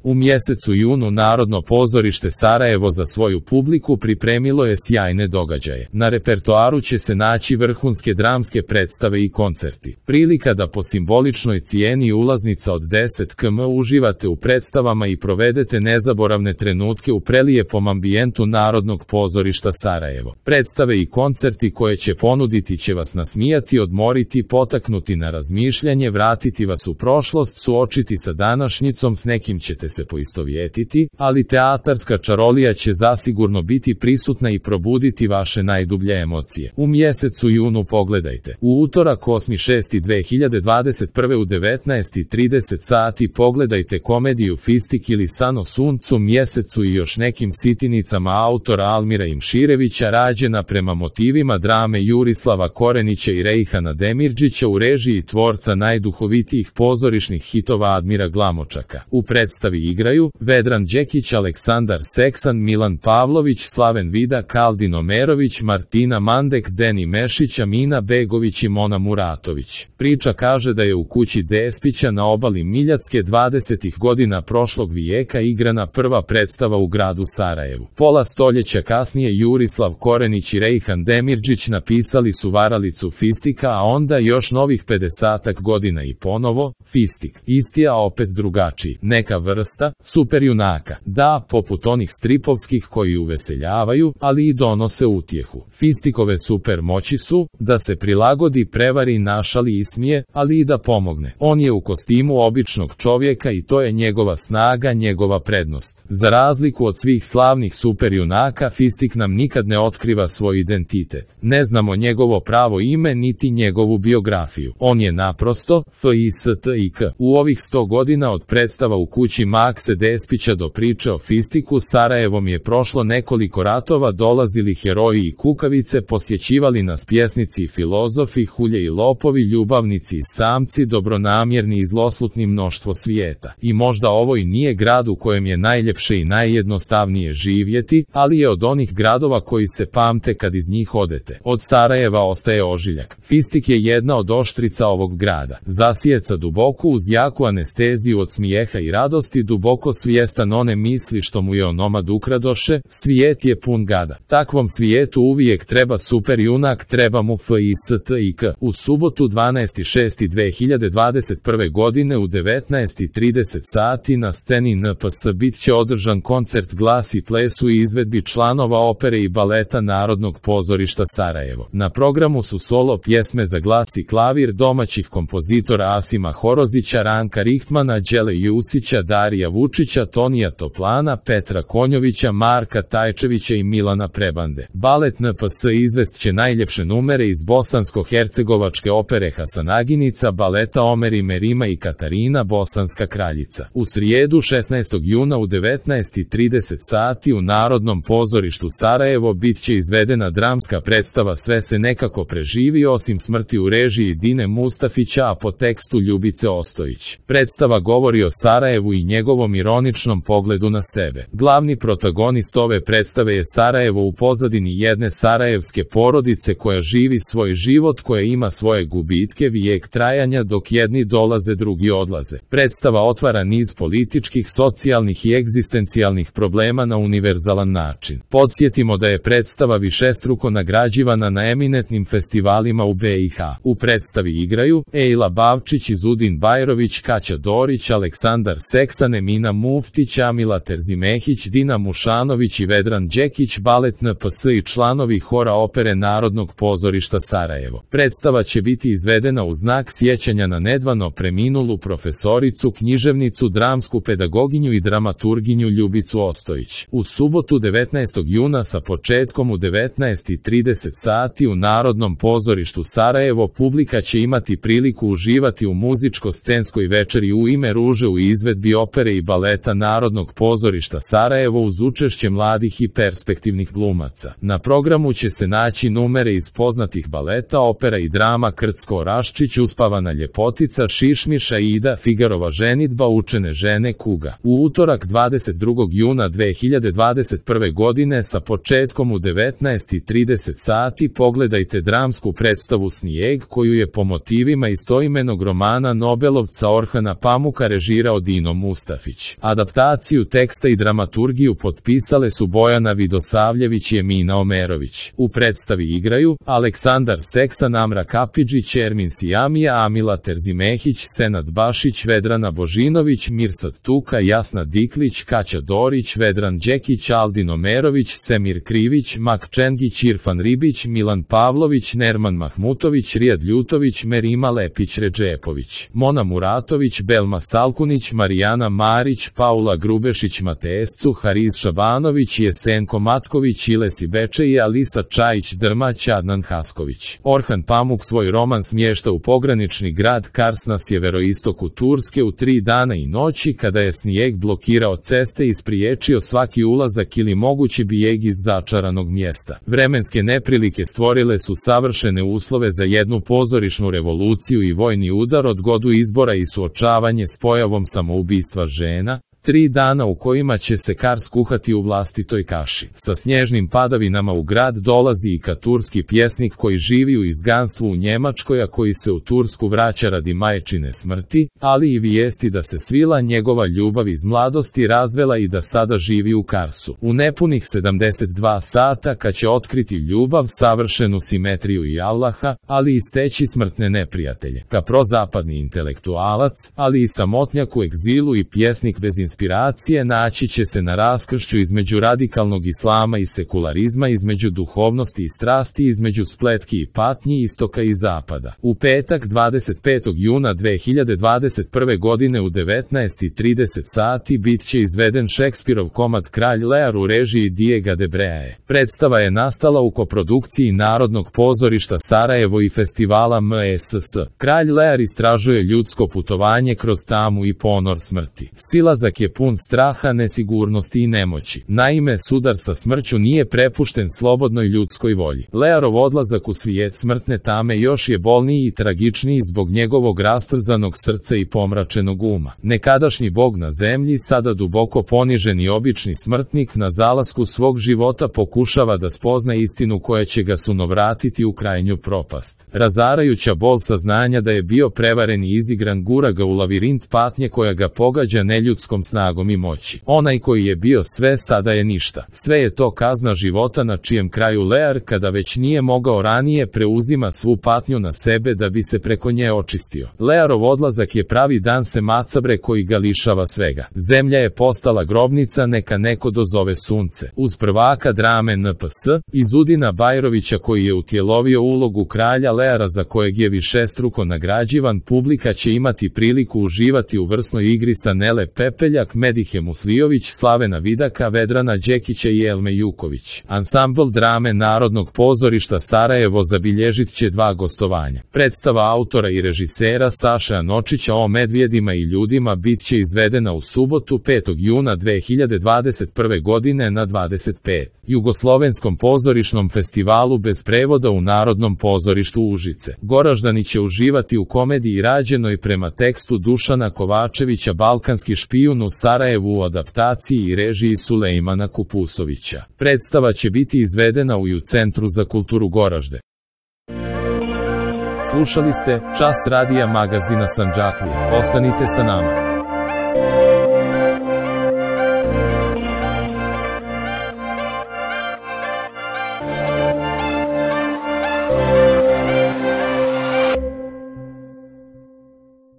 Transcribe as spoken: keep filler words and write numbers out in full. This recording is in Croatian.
U mjesecu junu Narodno pozorište Sarajevo za svoju publiku pripremilo je sjajne događaje. Na repertoaru će se naći vrhunske dramske predstave i koncerti. Prilika da po simboličnoj cijeni ulaznica od deset km uživate u predstavama i provedete nezaboravne trenutke u prelijepom ambijentu Narodnog pozorišta Sarajevo. Predstave i koncerti koje će ponuditi će vas nasmijati, odmoriti, potaknuti na razmišljanje, vratiti vas u prošlost, suočiti sa današnjicom, s nekim ćete se poistovjetiti, ali teatarska čarolija će zasigurno biti prisutna i probuditi vaše najdublje emocije. U mjesecu junu pogledajte. U utorak osmi šesti dve hiljade dvadeset prve u devetnaest i trideset sati pogledajte komediju Fistik ili San o suncu, mjesecu i još nekim sitinicama autora Almira Imširevića, rađena prema motivima drame Jurislava Korenića i Rejhana Demirđića u režiji tvorca najduhovitijih pozorišnih hitova Admira Glamočaka. U predstavi igraju Vedran Đekić, Aleksandar Seksan, Milan Pavlović, Slaven Vida, Kaldin Omerović, Martina Mandek, Deni Mešić, Amina Begović i Mona Muratović. Priča kaže da je u kući Despića na obali Miljacke dvadesetih godina prošlog vijeka igrana prva predstava u gradu Sarajevu. Pola stoljeća kasnije Jurislav Korenić i Rejhan Demirđić napisali su varalicu Fistika, a onda još novih pedesetak godina i ponovo Fistik. Isti, a opet drugačiji. Neka vrsta superjunaka. Da, poput onih stripovskih koji uveseljavaju, ali i donose utjehu. Fistikove super moći su da se prilagodi, prevari, našali, ismije, ali i da pomogne. On je u kostimu običnog čovjeka i to je njegova snaga, njegova prednost. Za razliku od svih slavnih superjunaka, Fistik nam nikad ne otkriva svoj identitet. Ne znamo njegovo pravo ime niti njegovu biografiju. On je naprosto Fistik. U ovih sto godina od predstava u kući Makse Despića do priče o Fistiku, Sarajevom je prošlo nekoliko ratova, dolazili heroji i kukavice, posjećivali nas pjesnici i filozofi, hulje i lopovi, ljubavnici i samci, dobronamjerni i zloslutni, mnoštvo svijeta. I možda ovo i nije grad u kojem je najljepše i najjednostavnije živjeti, ali je od onih gradova koji se pamte kad iz njih odete. Od Sarajeva ostaje ožiljak. Fistik je jedna od oštrica ovog grada. Zasijeca duboko uz jaku anesteziju od smijeha i radosti, duboko svjestan one misli što mu je onomad ukradoše. Svijet je pun gada. Takvom svijetu uvijek treba superjunak, treba mu Fistik. U subotu dvanaesti šesti dve hiljade dvadeset prve godine u devetnaest i trideset sati na sceni N P S bit će održan koncert Glas i ples u izvedbi članova opere i baleta Narodnog pozorišta Sarajevo. Na programu su solo pjesme za glas i klavir domaćih kompozitora Asima Horozića, Ranka Rihtmana, Đele Jusića, Darija Vučića, Tonija Toplana, Petra Konjovića, Marka Tajčevića i Milana Prebande. Balet N P S izvest će najljepše numere iz bosansko-hercegovačke opere Hasanaginica, baleta Omer i Merima i Katarina, Bosanska kraljica. U srijedu šesnaestog juna u devetnaest i trideset sati u Narodnom pozorištu Sarajevo bit će izvedena dramska predstava Sve se nekako preživi osim smrti u režiji Dine Mustafića, a po tekstu Ljubice Ostojić. Predstava govori o Sarajevu i njegovom ironičnom pogledu na sebe. Glavni protagonist ove predstave je Sarajevo u pozadini jedne sarajevske porodice koja živi svoj život, koja ima svoje gubitke, vijek trajanja, dok jedni dolaze, drugi odlaze. Predstava otvara niz političkih, socijalnih i egzistencijalnih problema na univerzalan način. Podsjetimo da je predstava višestruko nagrađivana na eminentnim festivalima u B i H. U predstavi igraju Ejla Bavčić, Izudin Bajrović, Kaća Dorić, Aleksandar Seksan, Emina Muftić, Amila Terzimehić, Dina Mušanović i Vedran Đekić, balet N P S i članovi hora opere Narodnog pozorišta Sarajevo. Predstava će biti izvedena u znak sjećanja na nedavno preminulu profesoricu, književnicu, dramsku pedagoginju i dramaturginju Ljubicu Ostojić. U subotu devetnaestog juna sa početkom u devetnaest i trideset sati u Narodnom pozorištu Sarajevo publika će imati priliku uživati u muzičko-scenskoj večeri U ime ruže u izvedbi opere i baleta Narodnog pozorišta Sarajevo uz učešće mladih i perspektivnih glumaca. Na programu će se naći numere iz poznatih baleta, opera i drama Krcko Raščić, Uspavana ljepotica, Šišmiša, Ida, Figarova ženidba, Učene žene, Kuga. U utorak dvadeset drugog juna dve hiljade dvadeset prve godine sa početkom u devetnaest i trideset sati pogledajte dramsku predstavu Snijeg koju je po motivima istoimenog romana Nobelovca Orhana Pamuka režirao Dino Mustafić. Mustafić. Adaptaciju teksta i dramaturgiju potpisale su Bojana Vidosavljević i Emina Omerović. U predstavi igraju Aleksandar Seksan, Amra Kapidžić, Ermin Sijamija, Amila Terzimehić, Senad Bašić, Vedrana Božinović, Mirsad Tuka, Jasna Diklić, Kaća Dorić, Vedran Đekić, Aldin Omerović, Semir Krivić, Mak Čengić, Irfan Ribić, Milan Pavlović, Nerman Mahmutović, Rijad Ljutović, Merima Lepić Redžepović, Mona Muratović, Belma Salkunić, Marijana Marić, Paula Grubešić Matescu, Hariz Šabanović, Jesenko Matković, Ilesi Bečeji, Alisa Čajić Drmać, Adnan Hasković. Orhan Pamuk svoj roman smješta u pogranični grad Kars na sjeveroistoku Turske u tri dana i noći, kada je snijeg blokirao ceste i spriječio svaki ulazak ili mogući bijeg iz začaranog mjesta. Vremenske neprilike stvorile su savršene uslove za jednu pozorišnu revoluciju i vojni udar, odgodu izbora i suočavanje s pojavom samoubistva žena. Tri dana u kojima će se Kars kuhati u vlastitoj kaši. Sa snježnim padavinama u grad dolazi i katurski pjesnik koji živi u izganstvu u Njemačkoj, a koji se u Tursku vraća radi majčine smrti, ali i vijesti da se svila njegova ljubav iz mladosti razvela i da sada živi u Karsu. U nepunih sedamdeset dva sata, kad će otkriti ljubav, savršenu simetriju i Allaha, ali i steći smrtne neprijatelje. Ka prozapadni intelektualac, ali i samotnjak u egzilu i pjesnik bez inspiracije, naći će se na raskršću između radikalnog islama i sekularizma, između duhovnosti i strasti, između spletki i patnji istoka i zapada. U petak dvadeset petog juna dve hiljade dvadeset prve godine u devetnaest i trideset sati bit će izveden Šekspirov komad Kralj Lear u režiji Diega de Breae. Predstava je nastala u koprodukciji Narodnog pozorišta Sarajevo i festivala M S S. Kralj Lear istražuje ljudsko putovanje kroz tamu i ponor smrti. Silazak je pun straha, nesigurnosti i nemoći. Naime, sudar sa smrću nije prepušten slobodnoj ljudskoj volji. Learov odlazak u svijet smrtne tame još je bolniji i tragičniji zbog njegovog rastrzanog srca i pomračenog uma. Nekadašnji bog na zemlji, sada duboko poniženi obični smrtnik, na zalasku svog života pokušava da spozna istinu koja će ga sunovratiti u krajnju propast. Razarajuća bol saznanja da je bio prevaren i izigran gura ga u lavirint patnje koja ga pogađa neljudskom snagom i moći. Onaj koji je bio sve, sada je ništa. Sve je to kazna života na čijem kraju Lear, kada već nije mogao ranije, preuzima svu patnju na sebe da bi se preko nje očistio. Learov odlazak je pravi dan se macabre koji ga lišava svega. Zemlja je postala grobnica, neka neko dozove sunce. Uz prvaka drame N P S, Izudina Bajrovića, koji je utjelovio ulogu kralja Leara za kojeg je višestruko nagrađivan, publika će imati priliku uživati u vrsnoj igri sa Nele Pepeljak, Medihe Muslijović, Slavena Vidaka, Vedrana Đekića i Elme Juković. Ansambl drame Narodnog pozorišta Sarajevo zabilježit će dva gostovanja. Predstava autora i režisera Saše Anočića o medvjedima i ljudima bit će izvedena u subotu petog juna dve hiljade dvadeset prve godine na dvadeset pet. Jugoslovenskom pozorišnom festivalu bez prevoda u Narodnom pozorištu Užice. Goraždani će uživati u komediji rađenoj prema tekstu Dušana Kovačevića Balkanski špijun u Sarajevu u adaptaciji i režiji Sulejmana Kupusovića. Predstava će biti izvedena u U Centru za kulturu Goražde. Slušali ste Čas radija magazina Sandžaklija. Ostanite sa nama.